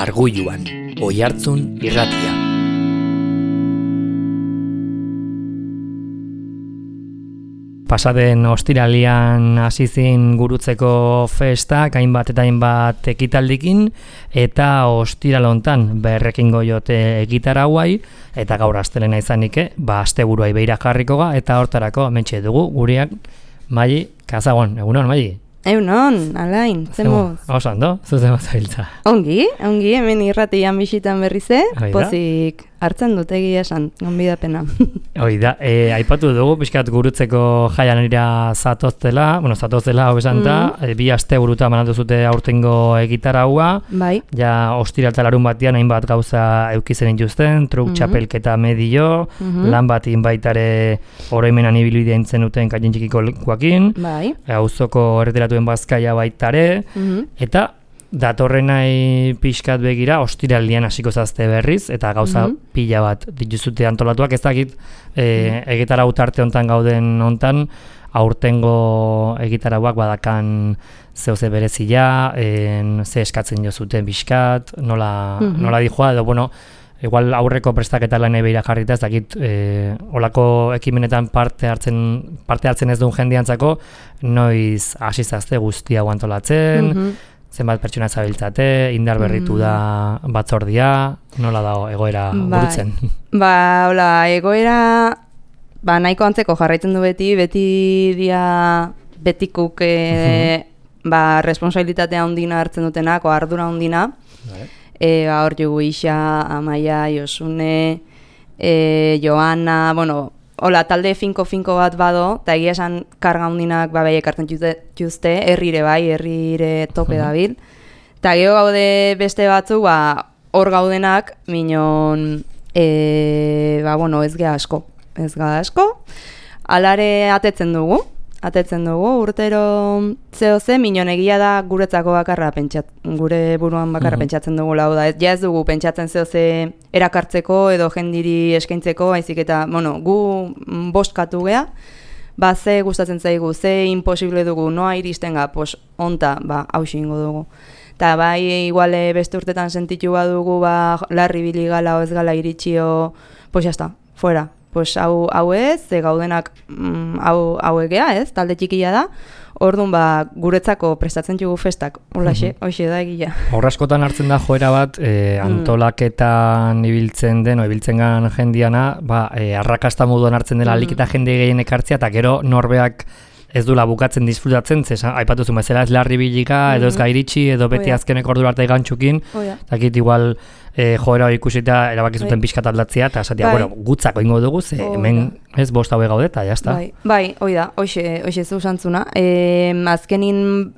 Arguluan, Oihartzun irratia. Pasaden ostiralian hasi zen gurutzeko festak, hainbat eta hainbat ekitaldikin, eta ostiral hontan berrekingo jote egitarauai, eta gaur astelena izanike, asteburuai beira jarriko ga, eta hortarako hementxe dugu gureak Maili Kazagon. Egunon, Maili? Egunon, Alain, zemuz. Oso ondo, zuzen bat zabiltza. Ongi, hemen irratian bisitan berrize, pozik hartzen dut egia esan, gonbidapena. Oida, aipatu dugu, pixkat gurutzeko jaian zatoztela, hau esan da, bi asteburuta manatu zute aurtengo egitaraua, bai. Ja ostiral eta larun batean hainbat gauza eukizen dituzten, truk txapelketa medio, lan bat inbaitare oroimenan ibilbidea intzen duten kaien txikiko lekuakin, bai. Auzoko erreteratuen bazkaia baitare, eta datorrenai pixkat begira, ostiralian hasiko zazte berriz, eta gauza pila bat dituzute antolatuak, ez dakit egitarau tarte hontan gauden hontan, aurtengo egitarauak badakan zehose berezia, ze eskatzen jozuten pixkat, nola dijoa, edo, igual aurreko prestaketa lanei beira jarrita, ez dakit olako ekimenetan parte hartzen ez duen jendiantzako, noiz hasi zazte guztia antolatzen, zenbat pertsona zabiltzate, indar berritu da batzordia, nola dago egoera burutzen? Egoera nahiko antzeko jarraitzen du beti betikuk responsabilitatea handina hartzen dutenak, ardura handina. Hor jugu Isa, Amaia, Josune, Joana, talde finko bat bado, eta egia esan karga hundinak bai ekartzen juzte, herrire tope dabil. Eta gero gaude beste batzu, hor gaudenak, minon, ez gara asko. Alare atetzen dugu, urtero zehose, minon egia da guretzako bakarra gure buruan bakarra pentsatzen dugu lau da. Ez dugu pentsatzen zehose erakartzeko edo jendiri eskaintzeko, haizik eta, gu bostkatu gea, ze gustatzen zaigu, ze imposible dugu, noa iristen ga, onta, hausi ingo dugu. Eta iguale beste urtetan sentitu badugu, larri biligala, ez gala iritxio, jazta, fuera. Hau ez, gaudenak hau egea ez, talde txikia da, orduan guretzako prestatzen dugu festak, hoxe da egia. Horraskotan hartzen da joera bat, antolaketan ibiltzen gan jendiana, arrakasta moduan hartzen dela alik eta jende gehien ekartzea, eta gero norbeak ez dula bukatzen disfrutatzen, aipatu zuen bezala ez larri bilika, edo ez gairitxi, edo beti azkeneko ordura arte gantxukin, eta igual joera hori ikusita erabakizuten pixkat aldatzea, eta esatia, gutzako ingo dugu, hemen ez bost haue gaude, eta jazta. Hoxe zuzantzuna. Azkenin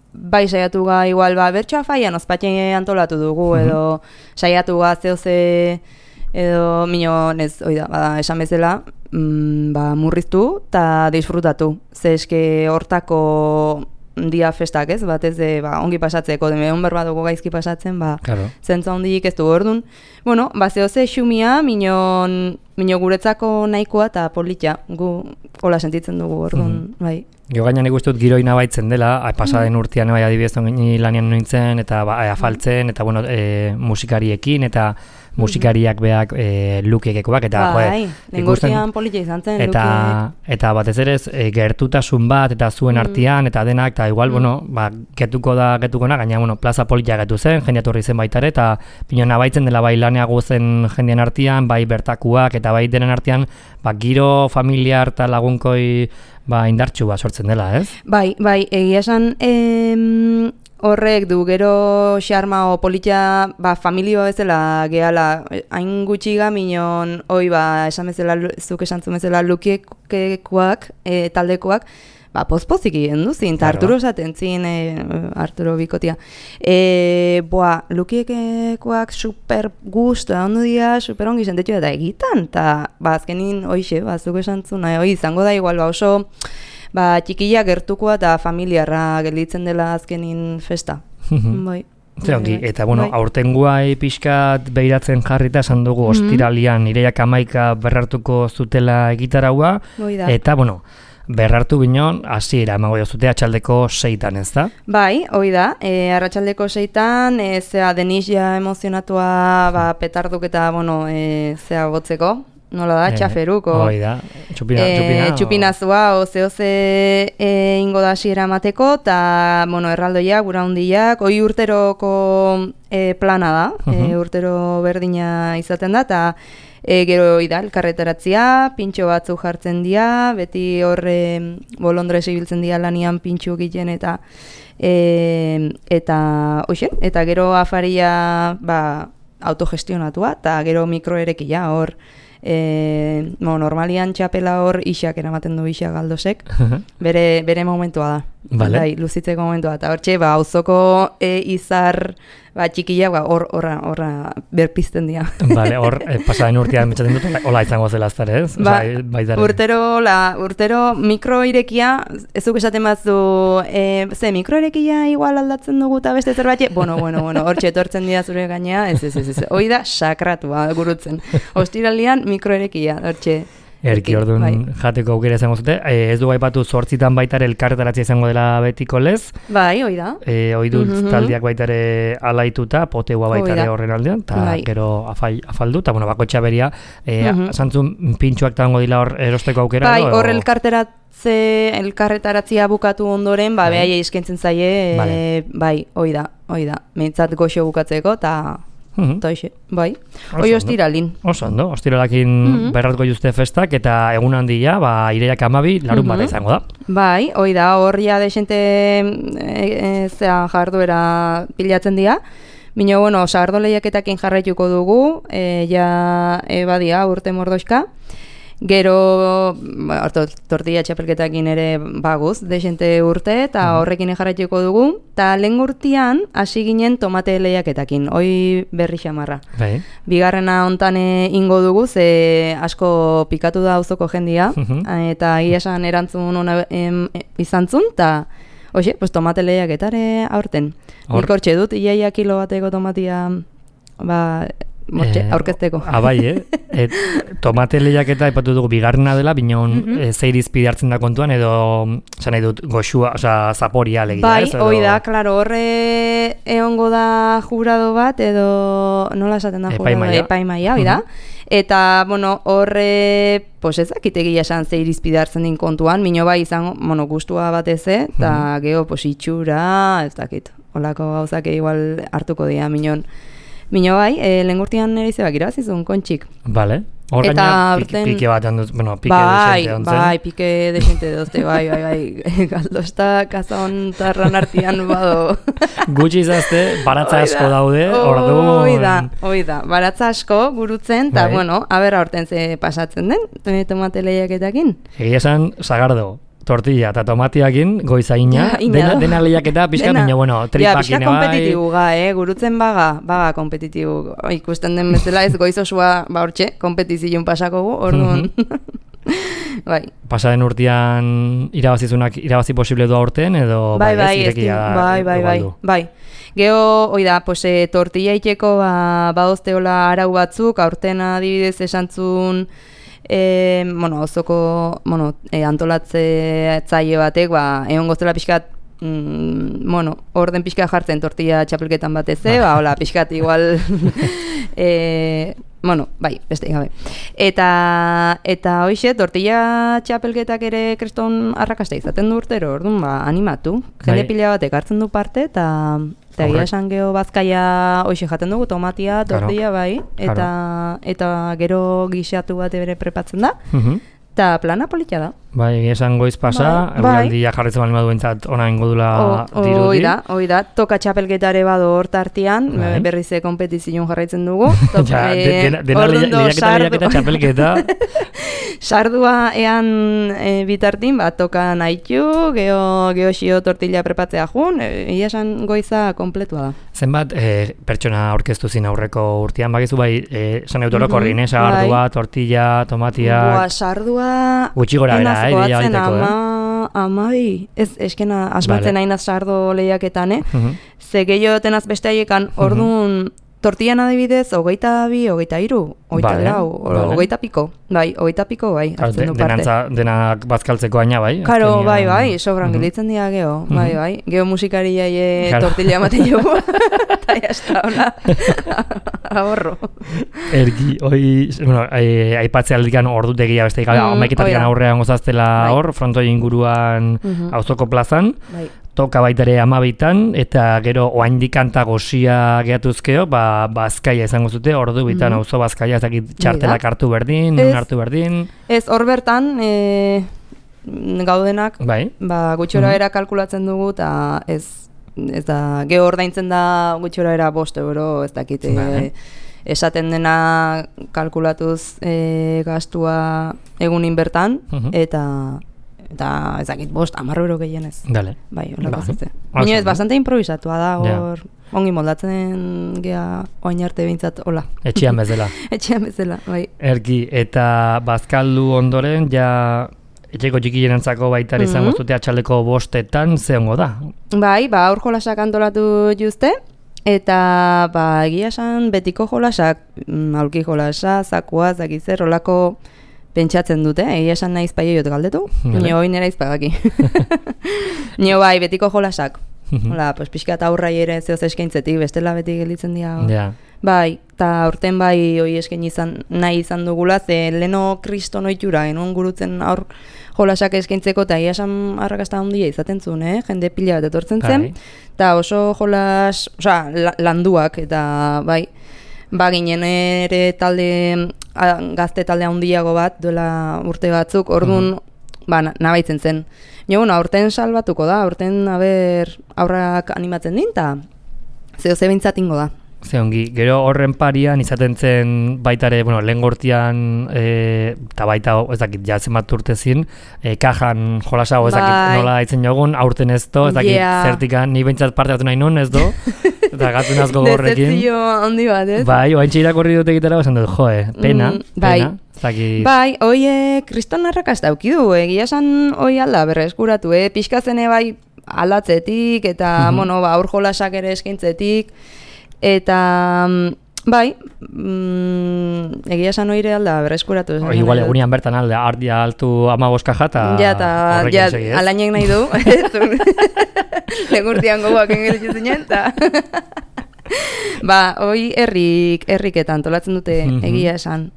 saiatu ga igual, bertsoa faian ospatxe antolatu dugu, edo saiatu ga zehose, edo minon ez, esan bezala, murriztu eta disfrutatu. Ze eske hortako dia festak ez, batez ongi pasatzeko, egon berba dugu gaizki pasatzen, zentza hondik ez du ordun. Zehose xumia, minon guretzako nahikoa eta politia, gu hola sentitzen dugu ordun, bai. Jo gainan ikustut giroina baitzen dela, pasaden urtean adibidez ongini lanian nintzen, eta afaltzen, eta musikariekin, eta musikariak beak lukiekekoak, eta lengurtean politia izan zen eta batez ere gertutasun bat, eta zuen artean, eta denak, eta igual, getuko na, gaina, plaza politia getu zen, jendeaturri zen baitare, eta pinona baitzen dela laneago zen jendean artean, bertakuak, eta denen artean, giro familiar eta lagunkoi indartxu sortzen dela, ez? Egia esan horrek du gero xarma o politia familia bezala gehala, hain gutxiga minon esan bezala, zuk esan zuen bezala lukiekoak, taldekoak, pozpozik egin duzin, eta Arturo esaten zin, Arturo bikotia. Lukiekoak super gustu, ondo dira, super ongi sentetxu eta egitan, eta azkenin zuk esan zuen, izango da igual, oso txikia gertukoa eta familiarra gelditzen dela azkenin festa. Eta aurtengoa pixkat behiratzen jarrita esan dugu ostiralian ireiak 11 berrartuko zutela egitaraua, eta berrartu binon, hasiera emango jozute atxaldeko 6-tan, ez da? Bai, hoi da, arratsaldeko 6-tan, zea Denis ja emozionatua petarduk eta, bueno, zea botzeko, nola da, txaferuk, hoi da, txupinazua, oze ingo da hasiera mateko, eta, bueno, erraldoiak, gura hundiak, hoi urteroko plana da, urtero berdina izaten da, eta gero da, elkarretaratzea, pintxo batzu jartzen dira, beti horre bolondrez ibiltzen dira lanian pintxo egiten eta hoxen, eta gero afaria autogestionatua, eta gero mikroerekia hor, normalian txapela hor isak eramaten du isak galdosek, bere momentua da. Vale. Luzitzeko momentua, eta hortxe, auzoko izar txikia, horra berpizten dira. Vale, hor, pasaren urtean betxaten dut, hola izango zela aztar, ez? Urtero mikroirekia, ezuk esaten batzu, mikroirekia igual aldatzen dugu eta beste zerbait, bueno, hortxe etortzen dira zure gainea, ez, hoi da sakratua gurutzen. Ostiralian mikroirekia, hortxe. Erki orduan jateko aukera izango zute. Ez du aipatu 8 baitare elkarretaratzea izango dela betiko lez. Bai, hoi da. Hoi dut taldiak baitare alaituta, poteua baitare horren aldean, eta gero afaldu, eta bakotxa beria, zantzun pintxoak tango dila hor erosteko aukera. Bai, hor elkarretaratzea bukatu ondoren, behaia izkentzen zaie, bai, hoi da. Mentzat goxo bukatzeko, eta bai. Hoi ostiralin. Oso ondo, ostiralakin berratko juzte festak eta egun handia, ireiak 12 larun bat izango da. Bai, hoi da, horria desente jarduera pilatzen dira. Bino, bueno, sardo lehiaketakin jarraituko dugu, badia urte mordoxka. Gero, tortilla txapelketakin ere baguz, desente urte, eta horrekin jarraituko dugu. Eta lehen urtean, hasi ginen tomate lehiaketakin, hoi berri xamarra. Bigarrena hontan ingo dugu, ze asko pikatu da auzoko jendia, eta esan erantzun ona izan zun, eta hoxe, tomate lehiaketare aurten. Nik hortxe dut, iaia kilo bateko tomatia, aurkezteko. Bai, tomate lehiaketa ipatu dugu bigarrena dela, binon zeir izpide hartzen da kontuan, edo zan nahi dut goxua, zaporia legia. Bai, hoi da, klaro, horre egongo da jurado bat, edo nola esaten da jurado? Epaimaia, hoi da. Eta, bueno, horre, ezakitegia esan zeir izpide hartzen din kontuan, mino bai izango, gustua batez, eta geho, itxura, ez dakit, holako gauzak igual hartuko dira, minon. Mino bai, lehengurtian nire izabak irabazizun, kontxik. Bale. Hor gaina pike bat handuz, pike desente ontzen. Bai, pike desente dozte, bai. Galdosta, kazon tarran artian bado. Gutxi izazte, baratza asko daude, orduan. Hoi da, baratza asko gurutzen, eta, bueno, abera horten ze pasatzen den, tomate lehiaketakin. Egia esan, sagardo. Tortilla eta tomatiakin, goizaina, dena lehiaketa, pixka, baina, bueno, tripakin, pixka kompetitibu gurutzen baga kompetitibu, ikusten den bezala ez goiz osua, hortxe, kompetizion pasako gu, orduan. Bai. Pasaren urtean irabazizunak irabazi posible du aurten, edo bai, bai. Geho, hoi da, tortilla iteko badozteola arau batzuk, aurten adibidez esantzun, ozoko antolatze zaile batek, egon goztela pixkat, orden pixka jartzen tortilla txapelketan batez, hola, pixkat igual, bai, beste gabe. Eta hoxe, tortilla txapelketak ere kriston arrakasta izaten du urtero, orduan, animatu. Jende pila batek hartzen du parte, eta gira esan geho bazkaia hoxe jaten dugu, tomatia, tortilla, bai, eta gero gixatu bat bere prepatzen da, eta plana politia da. Bai, esan goiz pasa, eguraldia jarretzen bali maduentzat ona ingudula dirudi. Hoi da, toka txapelketare bado hortartian, berrize kompetizion jarraitzen dugu. Dena lehiaketa txapelketa. Sardua ean bitartin, toka nahitu, geho xio tortilla prepatzea jun, esan goiza kompletua da. Zenbat pertsona aurkeztu zin aurreko urtean, bakizu bai, esan eutoroko horrin, sardua, tortilla, tomatia... Sardua... Gutxi gora bera, Amabi, eskena asmatzen hainaz sardo lehiaketan, ze gehiago tenaz beste haiekan, orduan tortillan adibidez, 22, 23, 24, 20 piko. Bai, 20 piko, bai, hartzen du parte. Denak bazkaltzeko aina, bai? Karo, bai, sobran gelitzen dira geho, bai. Geho musikariai tortilla ematen jogu. Eta jazta, hola. Ahorro. Ergi, aipatzea aldikan ordutegia beste gabe, amaiketatik aurrean gozaztela hor, frontoi inguruan auzoko plazan. Bai. Toka baita ere 12 eta gero oaindik kanta gozia gehatuzkeo, Bazkaia izango zute, ordu bitan auzo Bazkaia, ez dakit txartelak hartu berdin, nun hartu berdin. Ez, hor bertan, gaudenak, gutxora era kalkulatzen dugu, eta ez da, geho ordaintzen da gutxora era 5 euro, ez dakit, esaten dena kalkulatuz gastua egunin bertan, eta ez dakit 5, 10 euro gehienez. Dale. Bai, holako zute. Baina ez, bastante improvisatua da, hor, ongi moldatzen gea oain arte behintzat, hola. Etxean bezala. Etxean bezala, bai. Erki, eta bazkaldu ondoren, etxeko txikienentzako baita izango zute atxaldeko 5etan, ze hongo da? Bai, aur jolasak antolatu juzte, eta egia esan betiko jolasak, aulki jolasa, zakua, zakitzer, holako pentsatzen dute, egia esan nahiz paiaiot galdetu, nio hoi nera izpagaki. Nio bai, betiko jolasak. Hola, pixka eta aurrai ere zehoz eskaintzetik, bestela beti gelitzen dira. Bai, eta aurten bai hoi eskain nahi izan dugula, ze leno kriston oitura, genuen gurutzen aur jolasak eskaintzeko, eta egia esan arrakasta handia izaten zuen, jende pila bat etortzen zen, eta oso jolas, landuak, eta bai, ginen ere gazte talde handiago bat, duela urte batzuk, orduan, nabaitzen zen. Aurten salbatuko da, aurten aurrak animatzen din, eta ze bintzatingo da. Ze ongi, gero horren parian izaten zen baitare, lehen gortian, eta baita, ez dakit, jatzen bat urtezin, kajan jolasago, ez dakit, nola itzen jogun, aurten ez do, ez dakit, zertikan, ni behintzat parte hartu nahi nun, ez do, eta gatzen azgo gorrekin. Decepzio handi bat, ez? Bai, oaintxe irakorri dut egitera, esan dut, pena, Bai, hoi kriston arrakasta daukidu, egia esan hoi alda berreskuratu, pixkazene bai aldatzetik, eta, aur jolasak ere eskaintzetik, eta, bai, egia esan oire alda berreskuratu. Igual egunian bertan alde, ardia altu 15 kaja, eta alainek nahi du, legurtian gogoak engelitzu zinen, eta hoi herriketan antolatzen dute egia esan.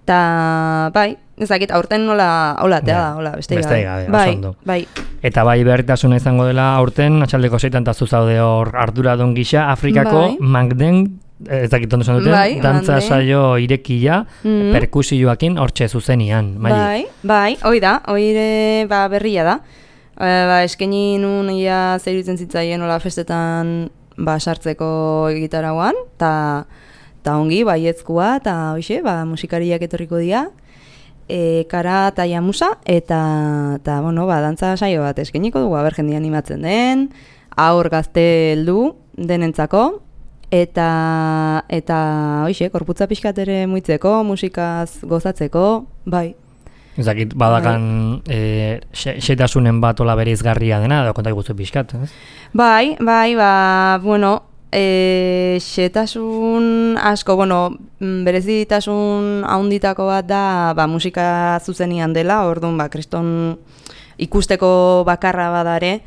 Ta bai, ezakit aurten nola tea da, hola, beste gabe. Bai. Eta bai berritasuna izango dela aurten, atxaldeko 6etan tazu zaude hor arduradun gisa, Afrikako Magden, ezakit ondo esan dute, dantza saio irekia, perkusioakin hortxe zuzenian. Bai, hoi da, hoire berria da. Eskaini nun ia zeirutzen zitzaien hola festetan sartzeko gitarauan, eta ongi, baiezkoa, eta hoxe, musikariak etorriko dira, kara eta jamusa, eta dantza saio bat eskainiko dugu, jendea animatzen den, aur gazte heldu denentzako, eta hoxe, korputza pixkat ere muitzeko, musikaz gozatzeko, bai. Ezakit, badakan xetasunen bat ola bereizgarria dena, edo kontak guztu pixkat, ez? Bai, xetasun asko, berezitasun haunditako bat da, musika zuzenian dela, orduan, kriston ikusteko bakarra badare,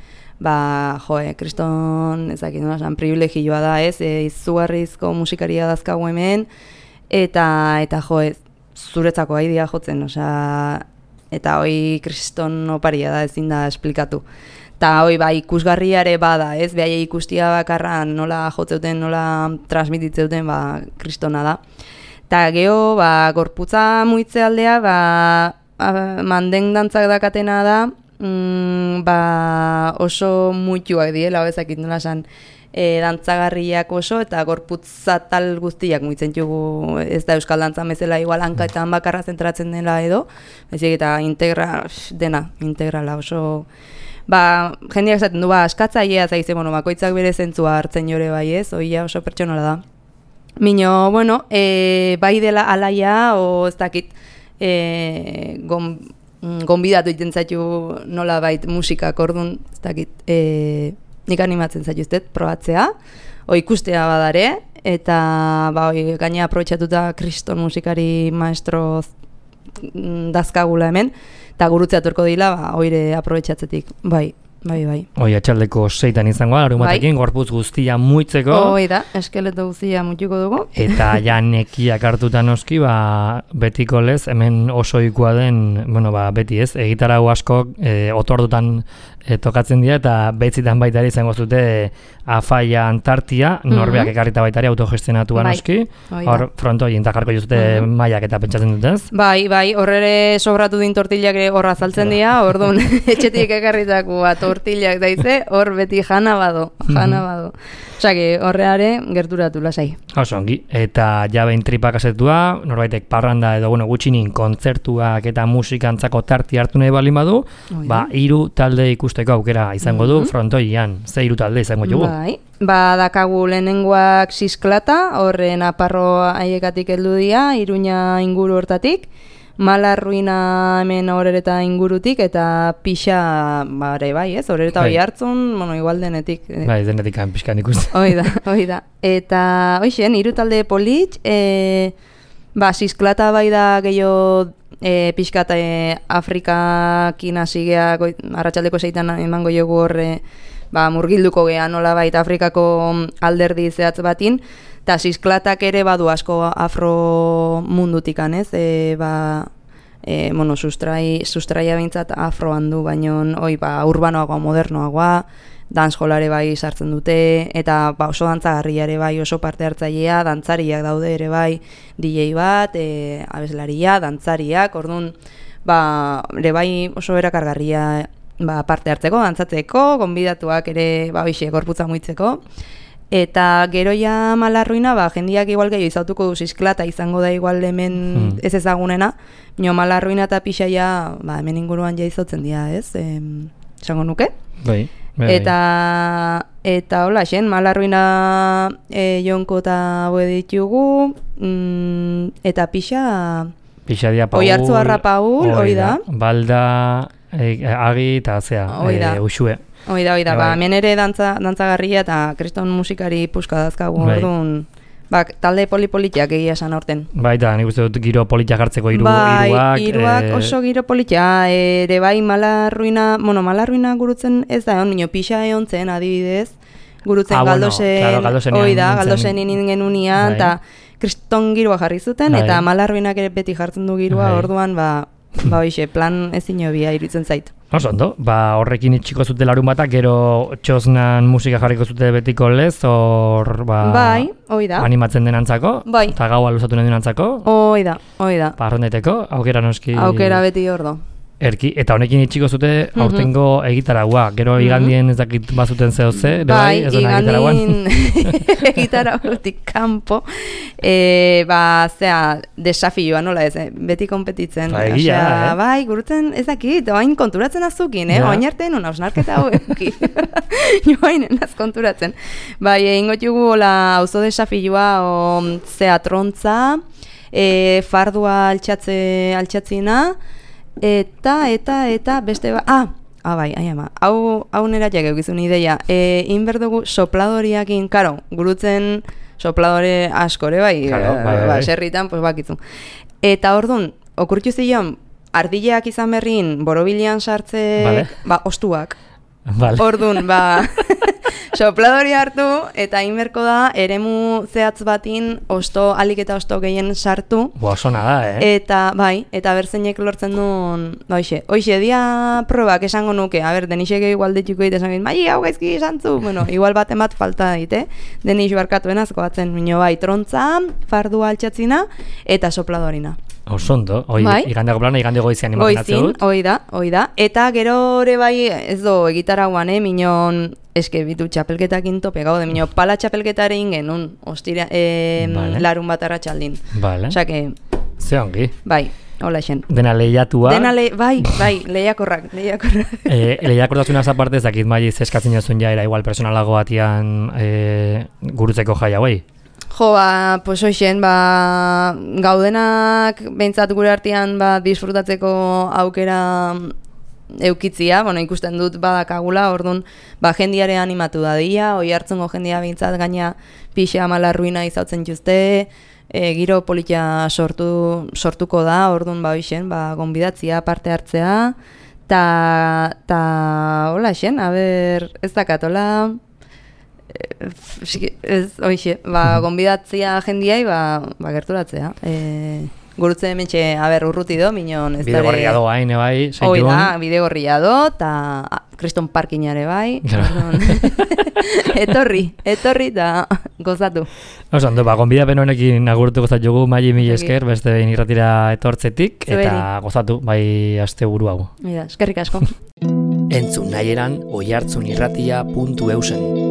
kriston, ezakit, privilegioa da, ez, izugarrizko musikaria dazkagu hemen, eta zuretzako haidia jotzen, eta hoi kriston oparia da, ezin da esplikatu. Eta hoi ikusgarriare bada, ez, behai ikustia bakarran nola jotzeuten, nola transmititzeuten, kristona da. Eta geho, gorputza muitze aldea, manden dantzak dakatena da, oso muituak diela, ezakit nola esan, dantzagarriak oso, eta gorputza tal guztiak muitzen jugu, ez da euskal dantzan bezala, igual hankaetan bakarra zentratzen dela edo, ezik eta integrala oso... jendeak zaten du, askatzailea zaize, bakoitzak bere zentzua hartzen jore bai ez, oia oso pertsonala da. Mino, bai dela alaia, o ez dakit, gonbidatu iten zaitu nola bait musikak orduan, ez dakit, nik animatzen zaituztet probatzea, ikustea badare, eta ba, gaina aprobetxatuta kriston musikari maestro dazkagula hemen, eta gurutzea turko dila, ba, oire aprobetxatzetik, bai. Oi, atxaldeko 6 izango, larunbatekin, gorputz guztia muitzeko. Hoi da, eskeleto guztia muituko dugu. Eta ja nekiak hartuta noski, ba, betiko lez, hemen oso ikua den, bueno, ba, beti ez, egitarau asko otordutan tokatzen dira, eta betzitan baita ere izango zute Afaia Antartia, norbeak ekarrita baita ere autogestionatua noski, hor frontoi intakarko jozute maiak eta pentsatzen dutez. Bai, horrere sobratu din tortillak horra zaltzen dira, orduan etxetik ekarritako tortillak daize, hor beti jana bado. Osake, horreare gerturatu lasai. Oso ongi, eta jabein tripak asetua, norbaitek parranda edo gutxinin kontzertuak eta musikantzako tarti hartu nahi balin badu, ba, 3 talde ikusteko aukera izango du frontoian, ze 3 talde izango dugu. Bai, ba, dakagu lehenengoak Sisklata, horren aparro haiekatik heldu dira, Iruña inguru hortatik, Malarruina hemen horreta ingurutik, eta Pixa, bare bai, ez? Horreta hoi hartzun, bueno, igual denetik. Bai, denetik pixkan ikusten. Hoi da. Eta, hoixen, 3 talde polit, ba, Sisklata bai da gehiago pixkat Afrikakin hasigea, arratsaldeko 6 emango jogu horre, ba, murgilduko geha nola baita Afrikako alderdi zehatz batin, eta Sisklatak ere badu asko afro mundutikan, ez? Bueno, sustraia bintzat afroan du, baino ba, urbanoagoa, modernoagoa, dancehallare bai sartzen dute, eta ba, oso dantzagarria ere bai, oso parte hartzailea, dantzariak daude ere bai, DJ bat, abeslaria, dantzariak, orduan, ba, ere bai oso erakargarria ba, parte hartzeko, dantzatzeko, gonbidatuak ere, ba, hoxe, gorputza muitzeko. Eta gero ja Malarruina, ba, jendiak igual gehiago izautuko du Sisklata izango da igual hemen ez ezagunena, nio Malarruina eta Pixa ja, ba, hemen inguruan ja izautzen dira, ez? Esango nuke? Bai. Eta hola, xen, Malarruina jonko eta boe ditugu, eta Pixa dia Paul, Oiartzuarra Paul, hoi da. Balda, Agi eta Uxue. Hoi da, ba, hemen ere dantzagarria eta kriston musikari puska dazkagu, orduan, ba, talde polipolitiak egia esan aurten. Bai, eta nik uste dut giro politiak hartzeko hiruak. Bai, hiruak oso giro politia, ere bai Malarruina gurutzen ez da egon, minio Pixa egon zen adibidez, gurutzen Galdosen, hoi da, Galdosen inin unian, eta kriston giroa jarri zuten, eta Malarruinak ere beti jartzen du giroa, orduan, ba, hoxe, plan ezin hobia iruditzen zait. Oso ondo, ba, horrekin itxiko zute larun batak, gero txosnan musika jarriko zute betiko lez, hor, ba, bai, hoi da. Animatzen denantzako, bai. Eta gaua luzatu nahi denantzako. Hoi da. Parrondeteko, aukera noski. Aukera beti ordo. Erki, eta honekin itxiko zute aurtengo egitaragua. Gero igandien ez dakit bazuten zehoze, bai, igandien egitaragutik kanpo, ba, zea, desafioa nola ez, beti kompetitzen. Bai, gurutzen ez dakit, oain konturatzen azukin, oain arte nun hausnarketa haueki. Joain enaz konturatzen. Bai, ingotugu auzo desafioa, zea trontza, fardua altxatzina, eta beste bai, hau nera jak eukizun ideia, inberdugu sopladoriakin, karo, gurutzen sopladore askore, bai, serritan, pues bakitzun. Eta orduan, okurtzu zion, ardileak izan berrin, borobilian sartze, ba, ostuak. Orduan, ba, sopladori hartu, eta inberko da, eremu zehatz batin, alik eta osto gehien sartu. Osona da, Eta, bai, eta berzeinek lortzen duen, hoxe, dia probak esango nuke, denixek igual dituko dit, esan bai, hau gaizki santzu, bueno, igual baten bat falta dit, denix barkatuen azko batzen, minio bai, trontza, fardua altxatzina, eta sopladorina. Osondo, igandeko plana, igandeko goizian imaginatzen dut. Hoi da. Eta gero ere bai, ez do, egitaraguan, minon, eske bitu txapelketakin tope gaude, minon, pala txapelketare ingen, larun bat arratsaldin. Vale. Osake, ze ongi. Bai, hola xen. Dena lehiatua. Bai, lehiakorrak. Lehiakortasuna zaparte ezakit maiz eskatzen jozun jaera, igual personalago batian gurutzeko jai hauei. Jo, pues hoxen, gaudenak behintzat gure artean disfrutatzeko aukera eukitzia, ikusten dut badakagula, orduan, jendiare animatu da dira, oi hartzungo jendia behintzat gaina pixa malarruina izautzen juzte, giro politia sortuko da, orduan hoixen, gonbidatzia, parte hartzea, ta hola xen, ez dakat, hola, hoixe, gonbidatzia jendiai, gerturatzea. Gurutze hementxe, urruti do, minon ez dara... Bidegorria do hain, bai, zaitun. Hoi da, bidegorria do, eta kriston parkinare bai. Etorri, eta gozatu. Oso, gonbidapen honekin agurtu gozat jogu, Maili, mila esker, beste behin irratira etortzetik, eta gozatu, bai, aste buru hau. Eskerrik asko. Entzun nahi eran, oihartzunirratia.eusen.